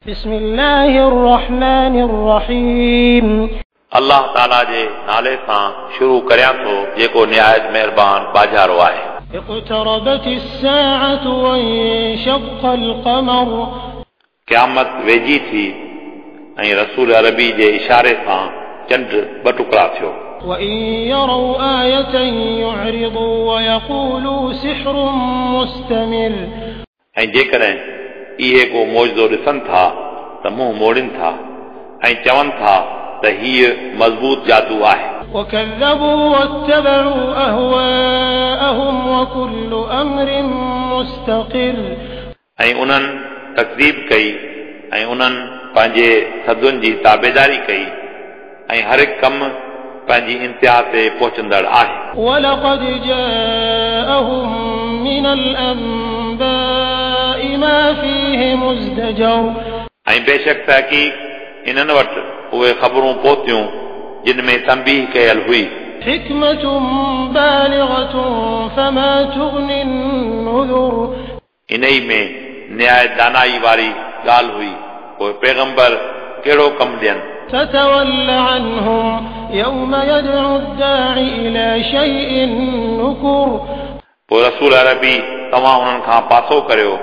بسم الله الرحمن الرحيم. الله تعاليٰ جي نالي سان شروع ڪريان ٿو جيڪو نهايت مهربان ٻاجهارو آهي. اقتربت الساعة وانشق القمر. قيامت ويجهي ٿي ۽ رسول عربي جي اشاري سان چنڊ ٻه ٽڪرا ٿيو. وإن يروا آية يعرضوا ويقولوا سحر مستمر. ۽ جيڪڏهن اهي ڪو معجزو ڏسن ٿا ته منهن موڙين ٿا ۽ چون ٿا ته هيءُ مضبوط جادو آهي. وكذبوا واتبعوا أهواءهم وكل أمر مستقر. ۽ انهن تڪذيب ڪئي ۽ انهن پنهنجي ٿڌن جي تابيداري ڪئي ۽ هر هڪ ڪم پنهنجي انتها تي پهچندڙ آهي. ولقد جاءهم من الأنباء ما فيه مزدجر. ۽ بيشڪ تحقيق انهن وٽ اهي خبرون پهتيون جن ۾ تنبيهه ڪيل هئي. حكمة بالغة فما تغني النذر. انهي ۾ نهايت دانائي واري ڳالهه هئي، پوءِ پيغمبر ڪهڙو ڪم ڏين؟ فتول عنهم يوم يدعو الداعي إلى شيء نكر. پوءِ رسول عربي توهان انهن کان پاسو ڪريو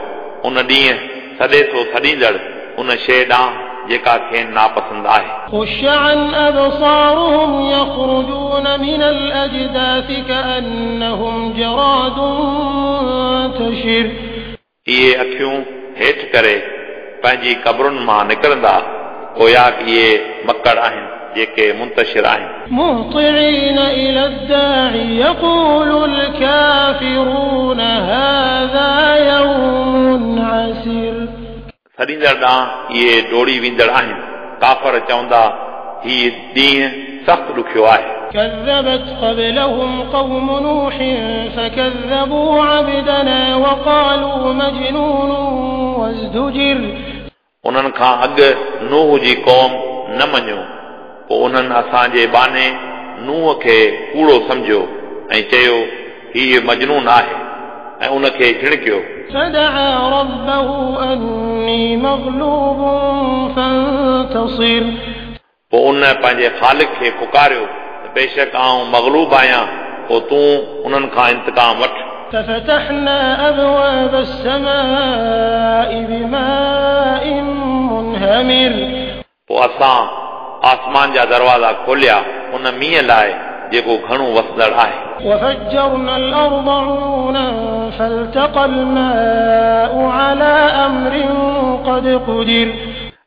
ان ڏينهن سڏي ٿو سڏيندڙ ان شيءِ ڏانهن جيڪا کين ناپسند آهي. خش عن أبصارهم يخرجون من الأجداث كأنهم جراد منتشر. اهي اکيون هيٺ ڪري پنهنجي قبرن مان نڪرندا گويا اهي مڪڙ آهن جيڪي منتشر آهن. مهطعين إلى الداعي يقول الكافرون هذا يوم عسر. سڏيندڙ ڏانهن اهي ڊوڙي ويندڙ آهن، ڪافر چوندا هيءُ ڏينهن سخت ڏکيو آهي. كذبت قبلهم قوم نوح فكذبوا عبدنا وقالوا مجنون وازدجر. انهن کان اڳ نوح جي قوم نه مڃيو، پوءِ انهن اسان جي ٻانهي نوح کي ڪوڙو سمجهيو ۽ چيو هيءُ مجنون آهي ۽ ان کي جهڻڪيو. فدعا ربه أني مغلوب فانتصر. پوءِ ان پنهنجي خالق کي پڪاريو ته بيشڪ آئون مغلوب آهيان، پوءِ تون انهن کان انتقام وٺ. ففتحنا أبواب السماء بماء منهمر. پوءِ اسان آسمان جا دروازا کوليا ان مينهن لاءِ جيڪو گهڻو وسندڙ آهي. وفجرنا الأرض عيونا فالتقى الماء على أمر قد قدر.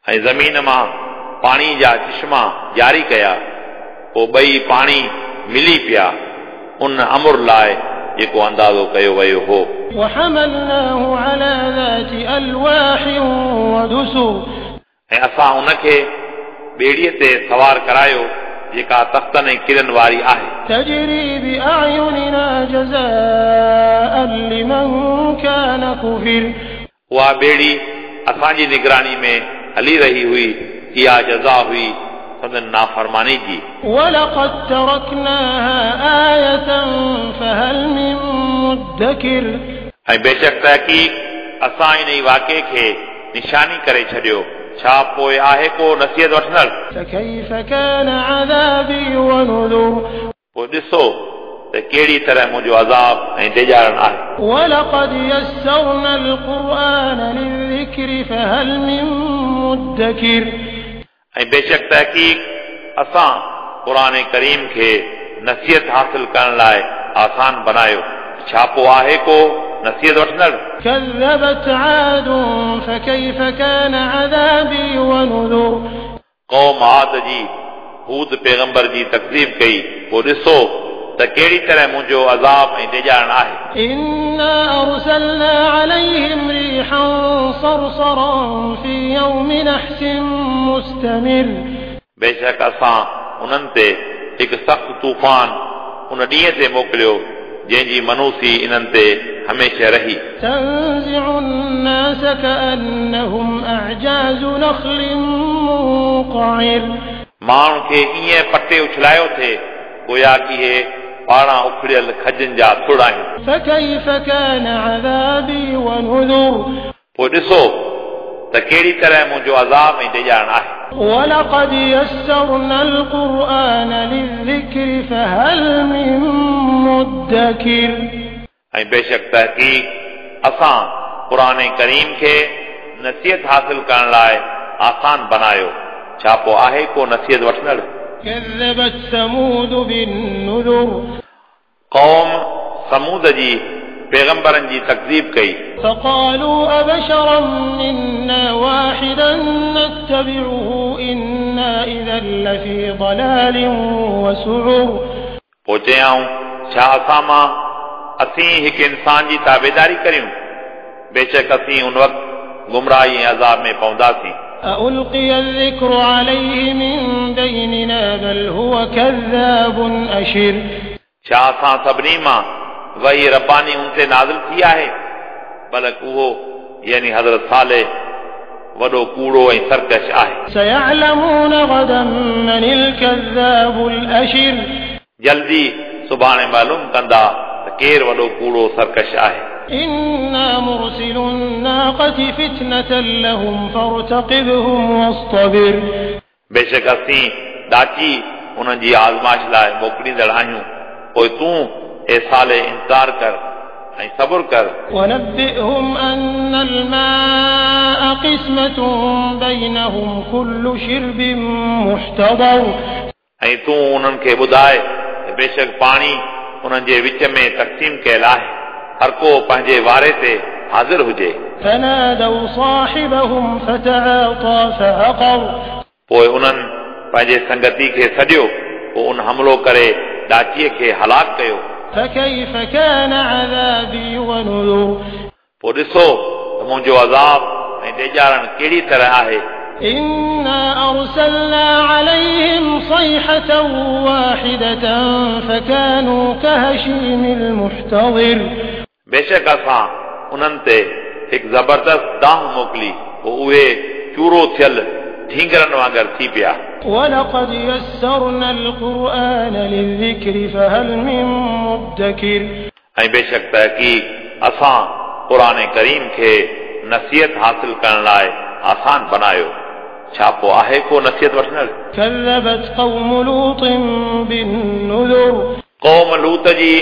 ۽ زمين مان پاڻي جا چشما جاري ڪيا، پوءِ ٻئي پاڻي ملي پيا ان امر لاءِ جيڪو اندازو ڪيو ويو هو. وحملناه على ذات ألواح ودسر. ۽ اسان ان کي ٻيڙيءَ تي سوار ڪرايو جيڪا تختن ۽ ڪرن واري آهي. تجري بأعيننا جزاء لمن كان كفر. اها ٻيڙي اسان جي نگراني ۾ هلي رهي هئي، اها جزا هئي سندن نافرماني جي. ولقد تركناها آية فهل من مدكر. ۽ بيشڪ تحقيق اسان ان واقعي کي نشاني ڪري ڇڏيو، ڇا پوءِ آهي ڪو نصيحت وٺندڙ؟ فكيف كان عذابي ونذر. پوءِ ڏسو ته ڪهڙي طرح منهنجو عذاب ۽ ڊيڄارڻ آهي. ولقد يسرنا القرآن للذكر فهل من مدكر. ۽ بيشڪ تحقيق اسان قرآن ڪريم کي نصيحت حاصل ڪرڻ لاءِ آسان بنايو، ڇا پوءِ آهي ڪو نصيحت وٺندڙ؟ كذبت عاد فكيف كان عذابي ونذر. قوم عاد جي هود پيغمبر جي تڪذيب ڪئي، پوءِ ڏسو ته ڪهڙي طرح منهنجو عذاب ۽ ڊيڄارڻ آهي. إنا أرسلنا عليهم ريحا صرصرا في يوم نحس مستمر. بيشڪ اسان انهن تي هڪ سخت طوفان ان ڏينهن تي موڪليو جنهن جي منوسي انهن تي هميشه رهي. تنزع الناس كأنهم أعجاز نخل منقعر. ماڻهن کي ائين پٽي اڇلايو ٿئي گويا ڪه اهي پاڙان اکڙيل کجن جا ٿڙ آهن. فكيف كان عذابي ونذر. پوءِ ڏسو ته त कहिड़ी तरह मुंहिंजो अज़ाब ऐं ॾेॼारण आहे। ولقد يسرنا القرآن للذكر فهل من مدكر। ऐं बेशक तहक़ीक़ असां क़ुर करीम खे नसीहत हासिल करण लाइ आसान बनायो, छा पोइ आहे को नसीहत वठंदड़? كذبت ثمود بالنذر। क़ौम समूद जी पैगंबरनि जी तकज़ीब कई। فقالوا أبشرا منا واحدا نتبعه إنا إذا لفي ضلال وسعر। पोइ चयाऊं, छा असां मां असीं हिकु इंसान जी ताबेदारी करियूं? बेशक असीं उन वक़्तु गुमराही ऐं अज़ाब में पवंदासीं। أألقي الذكر عليه من بيننا بل هو كذاب أشر। छा असां सभिनी मां वही रब्बानी उन ते नाज़िल थी आहे? बल्कि उहो यानी हज़रत सालेह वॾो कूड़ो ऐं सरकश आहे। سيعلمون غدا من الكذاب الأشر। जल्दी सुभाणे मालूम कंदा त केरु वॾो कूड़ो सरकश आहे। إنا مرسل الناقة فتنة لهم فارتقبهم واصطبر। बेशक असीं ॾाची उन्हनि जी आज़माइश लाइ मोकिलींदड़ आहियूं, पोइ तूं ए साले इंतज़ार कर ऐं सब्र कर। ونبئهم أن الماء قسمة بينهم كل شرب محتضر। ऐं तूं उन्हनि खे ॿुधाए त बेशक पाणी उन्हनि जे विच में तक़सीम कयल आहे, हर को पंहिंजे वारे ते हाज़िर हुजे। فنادوا صاحبهم فتعاطى فعقر। पोइ उन्हनि पंहिंजे संगती खे सॾियो, पोइ उन हमलो करे ॾाचीअ खे हलाक कयो। فكيف كان عذابي ونذر। पोइ ॾिसो त मुंहिंजो अज़ाब ऐं ॾेॼारण कहिड़ी तरह आहे। إنا أرسلنا عليهم صيحة واحدة فكانوا كهشيم المحتضر। बेशक असां उन्हनि ते हिकु ज़बरदस्त दाह मोकिली, पोइ उहे चूरो थियल ढींगरनि वांगुरु थी पिया। ولقد يسرنا القرآن للذكر فهل من مدكر। ऐं बेशक तहक़ीक़ असां क़ुर करीम खे नसीहत हासिल करण लाइ आसान बनायो, छा पोइ आहे को नसीहत वठंदड़? كذبت قوم لوط بالنذر। क़ौम लूत जी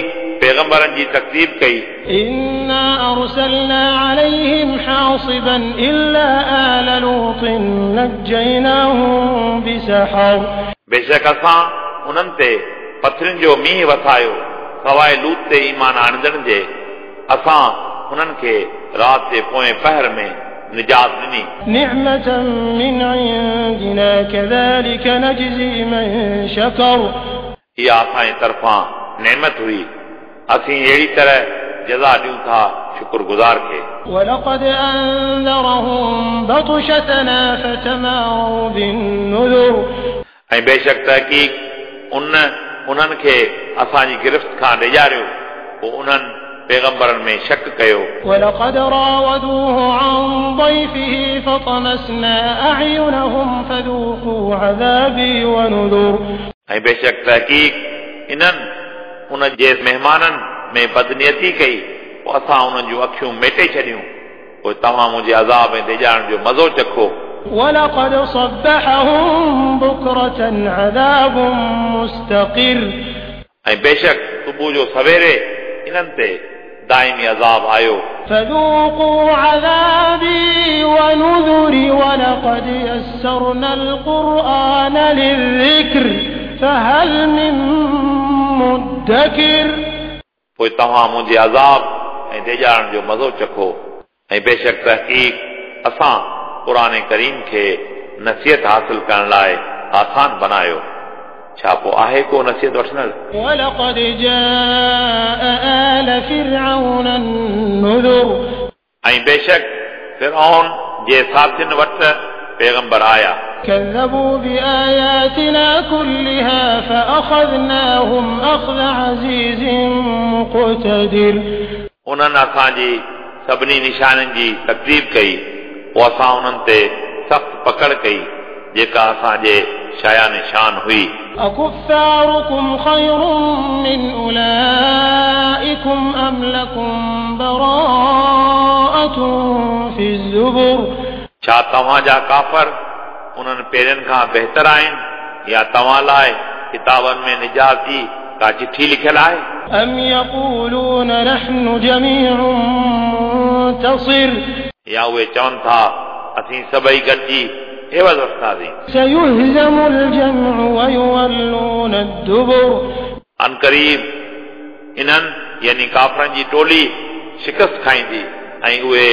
पैगंबरनि जी तकज़ीब कई। إنا أرسلنا عليهم حاصبا إلا آل لوط نجيناهم بسحر। बेशक असां उन्हनि ते पथरनि जो मींहुं वसायो, सवाइ लूत ते ईमान आणींदड़नि जे, असां उन्हनि खे राति जे पोएं पहर में निजात ॾिनी। نعمة من عندنا كذلك نجزي من شكر। इहा असांजे तरफ़ां नेमत हुई, असीं अहिड़ी तरह जज़ा ॾियूं था शुक्रगुज़ार खे। ولقد أنذرهم بطشتنا فتماروا بالنذر। ऐं बेशक तहक़ीक़ उन उन्हनि खे असांजी गिरफ़्त खां ॾेॼारियो, पोइ उन्हनि पैगंबरनि में शक कयो। ولقد راودوه عن ضيفه فطمسنا أعينهم فذوقوا عذابي ونذر। ऐं बेशक तहक़ीक़ इन्हनि उन जे महिमाननि में बदनीयती कई, पोइ असां उन्हनि जूं अखियूं मेटे छॾियूं, पोइ तव्हां मुंहिंजे अज़ाब ऐं ॾेॼारण जो मज़ो चखो। ولقد صبحهم بكرة عذاب مستقر। ऐं बेशक सुबुह जो सवेरे इन्हनि ते दाइमी अज़ाब आयो। فذوقوا عذابي ونذر ولقد يسرنا القرآن للذكر فهل من مدكر। पोइ तव्हां मुंहिंजे अज़ाब ऐं ॾेॼारण जो मज़ो चखो, ऐं बेशक तहक़ीक़ असां क़ुर करीम खे नसीहत हासिल करण लाइ आसान बनायो, छा पोइ आहे को नसीहत वठंदड़? ولقد جاء آل فرعون النذر। ऐं बेशक फिरऔन जे साथियुनि वटि पैगंबर आया। كذبوا بآياتنا كلها فأخذناهم أخذ عزيز مقتدر। उन्हनि असांजी सभिनी निशाननि जी तकज़ीब कई, पोइ असां उन्हनि ते सख़्तु पकड़ कई, जेका असांजे शाया निशान हुई। أكفاركم خير من أولئكم أم لكم براءة في الزبر। छा छा तव्हां जा काफ़र उन्हनि पहिरियनि खां बहितर आहिनि या तव्हां लाइ किताबनि में निजात जी का चिठी लिखियलु आहे? أم يقولون نحن جميع منتصر या उहे चवनि था असीं सभई गॾिजी एवज़ वठंदासीं। سيهزم الجمع ويولون الدبر अनक़रीब इन्हनि यानी काफ़रनि जी टोली शिकस्त खाईंदी ऐं उहे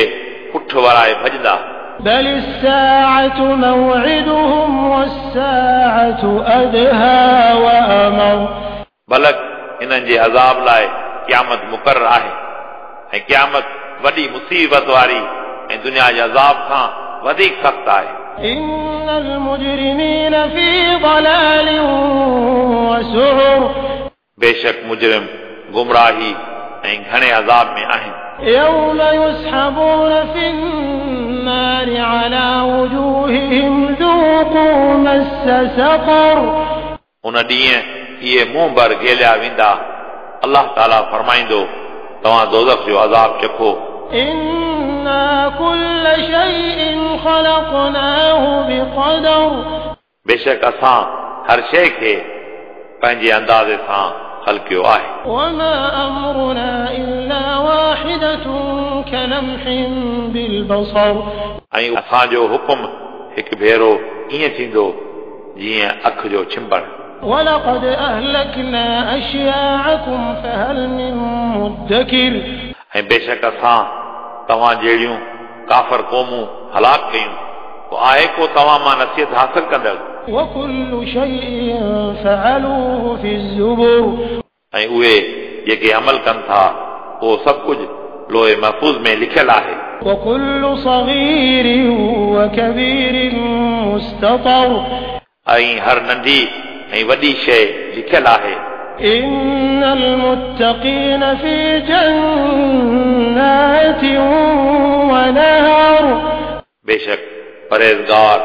पुठ वराए भॼंदा। بل الساعة موعدهم والساعة أدهى وأمر बलक इन्हनि जे अज़ाब लाइ क़यामत मुक़ररु आहे ऐं क़यामत वॾी मुसीबत वारी ऐं दुनिया जे अज़ाब खां वधीक सख़्तु आहे। إن المجرمين في ضلال وسعر बेशक मुजरिम गुमराही ऐं घणे अज़ाब में आहिनि। يوم يسحبون في النار على وجوههم ذوقوا مس سقر उन ॾींहुं इहे मुंहुं भर घेलिया वेंदा। अलाह ताला फरमाईंदो तव्हां दोज़ख जो अज़ाब चखो। إنا كل شيء خلقناه بقدر बेशक असां हर शइ खे पंहिंजे अंदाज़े सां ख़लकियो आहे। وما أمرنا إلا واحدة كلمح بالبصر ऐं असांजो हुकुम हिकु भेरो ईअं थींदो जीअं अखि जो छिंबणु। ولقد أهلكنا أشياعكم فهل من مدكر ऐं बेशक असां तव्हां जहिड़ियूं काफ़र क़ौमूं हलाक कयूं, पोइ आहे को तव्हां मां नसीहत हासिल कंदड़? وكل شيء فعلوه في الزبر ऐं उहे जेके अमल कनि था उहो सभु कुझु लोहे महफ़ूज़ में लिखियलु आहे। وكل صغير وكبير مستطر ऐं हर नंढी ऐं वॾी शइ लिखियलु आहे। إن المتقين في جنات ونهر बेशक परहेज़गार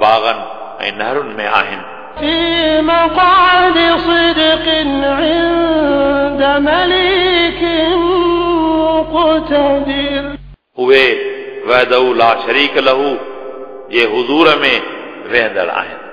बाग़नि ऐं नहरुनि में आहिनि। في مقعد صدق عند مليك مقتدر उहे वहदहू ला शरीक लहू जे हुज़ूर में वेहंदड़ आहिनि।